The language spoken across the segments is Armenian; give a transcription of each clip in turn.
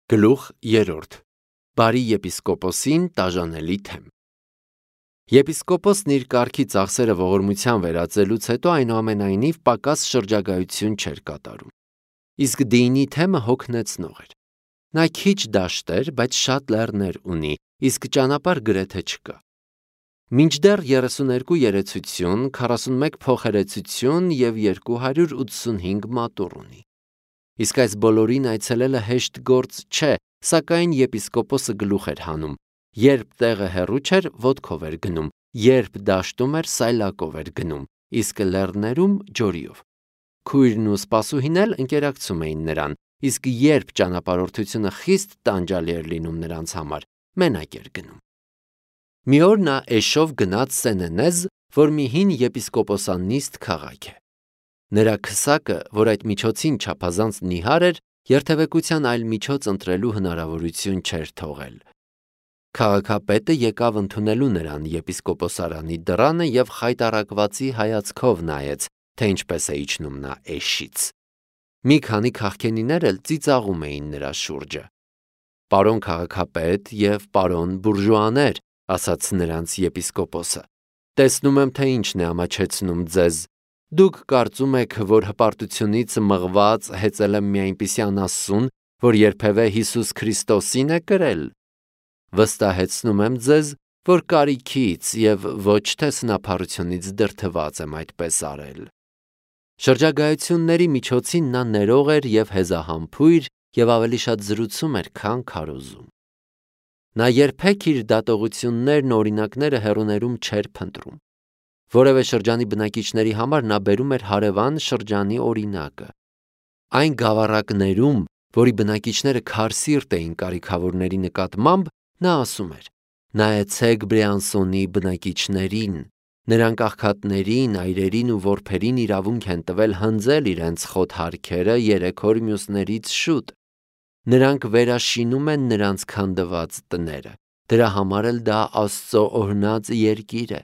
Գլուխ 3. Բարի եպիսկոպոսին տաժանելի թեմ։ Եպիսկոպոսն իր կարգի ծախսերը ողորմության վերածելուց հետո այնուամենայնիվ պակաս շրջագայություն չէր կատարում։ Իսկ դինի թեմը հոգնեցնող էր։ Նա քիչ դաշտ էր, բայց շատ լեռներ ունի, իսկ ճանապարհ գրեթե չկա։ Մինչդեռ 32 երեցություն, 41 փոխերեցություն և 285 մատուռ ունի։ Իսկ այս բոլորին այցելելը հեշտ գործ չէ, սակայն եպիսկոպոսը գլուխ էր հանում, երբ տեղը հեռու չէր, ոտքով էր գնում, երբ դաշտում էր, սայլակով էր գնում, իսկ լեռներում ջորիով։ Քույրն ու սպասուհին էլ ընկերակցում էին նրան, իսկ երբ ճանապարհորդությունը խիստ տանջալի էր լինում նրանց համար, մենակ էր գնում։ Մի օր նա էշով գնաց Սենենեզ, որ մի հին եպիսկոպոսանիստ քաղաք է։ Նրա քսակը, որ այդ միջոցին չափազանց նիհար էր, երթևեկության այլ միջոց ընտրելու հնարավորություն չէր թողել։ Քաղաքապետը եկավ ընդունելու նրան եպիսկոպոսարանի դռանը և խայտառակվածի հայացքով նայեց, թե ինչպես է իջնում նա էշից։ Մի քանի քաղքենիներ էլ ծիծաղում էին նրա շուրջը։ «Պարոն քաղաքապետ և պարոն բուրժուաներ», ասաց նրանց եպիսկոպոսը, «տեսնում եմ, թե ինչն է ամաչեցնում ձեզ։ Դուք կարծում եք, որ հպարտությունից մղված հեծել եմ մի այնպիսի անասուն, որ երբևէ Հիսուս Քրիստոսին է կրել։ Վստահեցնում եմ ձեզ, որ կարիքից և ոչ թե սնափառությունից դրդված եմ այդպես արել»։ Շրջագայությունների միջոցին նա ներող էր և հեզահամբույր և ավելի շատ զրուցում էր, քան քարոզում։ Նա երբեք իր դատողություններն ու օրինակները հեռուներում չէր փնտրում։ Որևէ շրջանի բնակիչների համար նա բերում էր հարևան շրջանի օրինակը։ Այն գավառակներում, որի բնակիչները քարսիրտ էին կարիքավորների նկատմամբ, նա ասում էր. «Նայեցեք Բրեանսոնի բնակիչներին, նրանք աղքատներին, այրերին ու որբերին իրավունք են տվել հնձել իրենց խոտհարքերը 3 օր մյուսներից շուտ։ Նրանք վերաշինում են նրանց քանդված տները, դրա համար էլ դա Աստծո օրհնած երկիր է։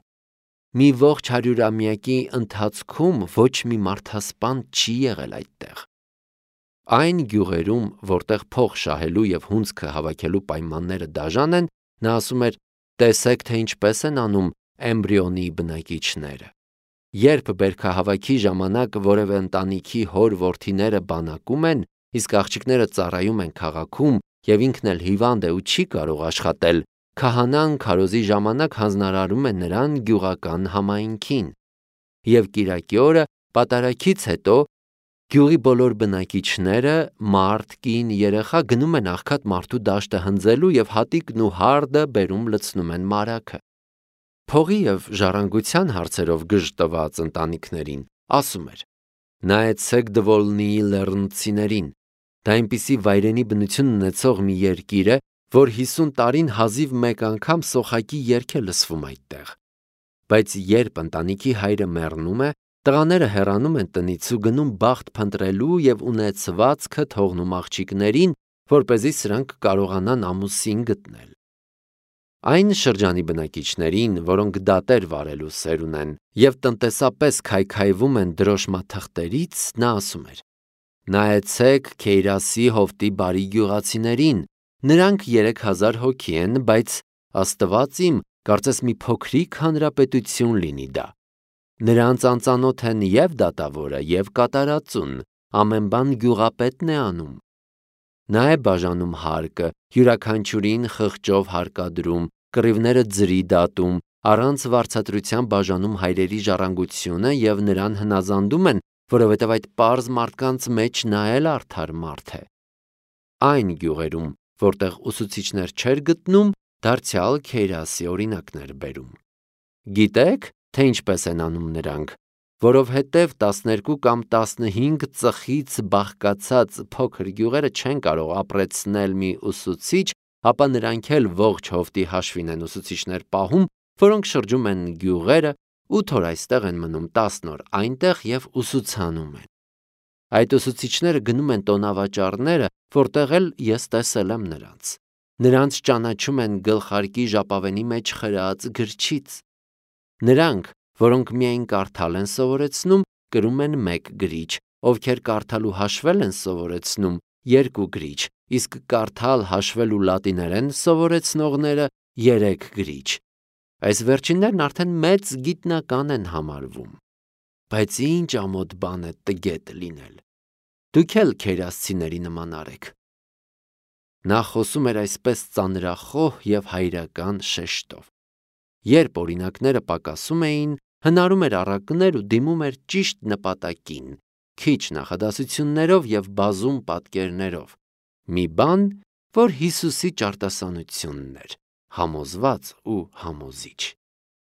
Մի ողջ 100-ամյակի ընթացքում ոչ մի մարդասպան չի եղել այդտեղ»։ Այն գյուղերում, որտեղ փող շահելու և հունձքը հավաքելու պայմանները դաժան են, նա ասում էր. «Տեսեք, թե ինչպես են անում Էմբրիոնի բնակիչները։ Երբ բերքահավաքի ժամանակ որևէ ընտանիքի հոր-որդիները բանակում են, իսկ աղջիկները ծառայում են քաղաքում, և ինքն էլ հիվանդ է ու չի կարող աշխատել, քահանան քարոզի ժամանակ հանձնարարում է նրան գյուղական համայնքին։ Եվ կիրակի օրը պատարագից հետո գյուղի բոլոր բնակիչները, մարդ, կին, երեխա գնում են աղքատ մարդու դաշտը հնձելու և հատիկն ու հարդը բերում լցնում են մարագը»։ Փողի և ժառանգության հարցերով գժտված ընտանիքներին ասում էր. «Նայեցեք Դվոլնիի լեռնցիներին։ Դա այնպիսի վայրենի բնություն ունեցող մի երկիր է, որ 50 տարին հազիվ մեկ անգամ սոխակի երգ է լսվում այդտեղ։ Բայց երբ ընտանիքի հայրը մեռնում է, տղաները հեռանում են տնից ու գնում բախտ փնտրելու և ունեցվածքը թողնում աղջիկներին, որպեսզի սրանք կարողանան ամուսին գտնել»։ Այն շրջանի բնակիչներին, որոնք դատեր վարելու սեր ունեն և տնտեսապես քայքայվում են դրոշմաթղթերից, նա ասում էր. «Նայեցեք Քեյրասի հովտի բարի գյուղացիներին, նրանք 3000 հոգի են, բայց Աստված իմ, կարծես մի փոքրիկ հանրապետություն լինի դա։ Նրանց անծանոթ են և դատավորը, և կատարածուն, ամեն բան գյուղապետն է անում։ Նա է բաժանում հարկը, յուրաքանչյուրին խղճով հարկադրում, կռիվները ձրի դատում, առանց վարձատրության բաժանում հայրերի ժառանգությունը և նրան հնազանդում են, որովհետև այդ պարզ մարդկանց մեջ նա էլ արդար մարդ է։ Այն գյուղերում, որտեղ ուսուցիչներ չէր գտնում, դարձյալ Քեյրասի օրինակն էր բերում։ Գիտե՞ք, թե ինչպես են անում նրանք, որովհետև 12 կամ 15 ծխից բաղկացած փոքր գյուղերը չեն կարող ապրեցնել մի ուսուցիչ, ապա նրանք էլ ողջ հովտի հաշվին են ուսուցիչներ պահում, որոնք շրջում են գյուղերը, 8 օր այստեղ են մնում, 10 օր այնտեղ և ուսուցանում են։ Այդ ուսուցիչները գնում են տոնավաճառները, որտեղ էլ ես տեսել եմ նրանց։ Նրանց ճանաչում են գլխարկի ժապավենի մեջ խրած գրչից։ Նրանք, որոնք միայն կարդալ են սովորեցնում, կրում են 1 գրիչ, ովքեր կարդալ ու հաշվել են սովորեցնում, 2 գրիչ, իսկ կարդալ, հաշվել ու լատիներեն սովորեցնողները 3 գրիչ։ Այս վերջիններն արդեն մեծ գիտնական են համարվում։ Բայց ինչ ամոթ բան է տգետ լինել։ Դուք էլ քերասցիների նման արեք։ Նա խոսում էր այսպես ծանրախոհ և հայրական շեշտով։ Երբ օրինակները պակասում էին, հնարում էր առակներ ու դիմում էր ճիշտ նպատակին, քիչ նախադասություններով և բազում պատկերներով։ Մի բան, որ Հիսուսի ճարտասանությունն էր, համոզված ու համոզիչ։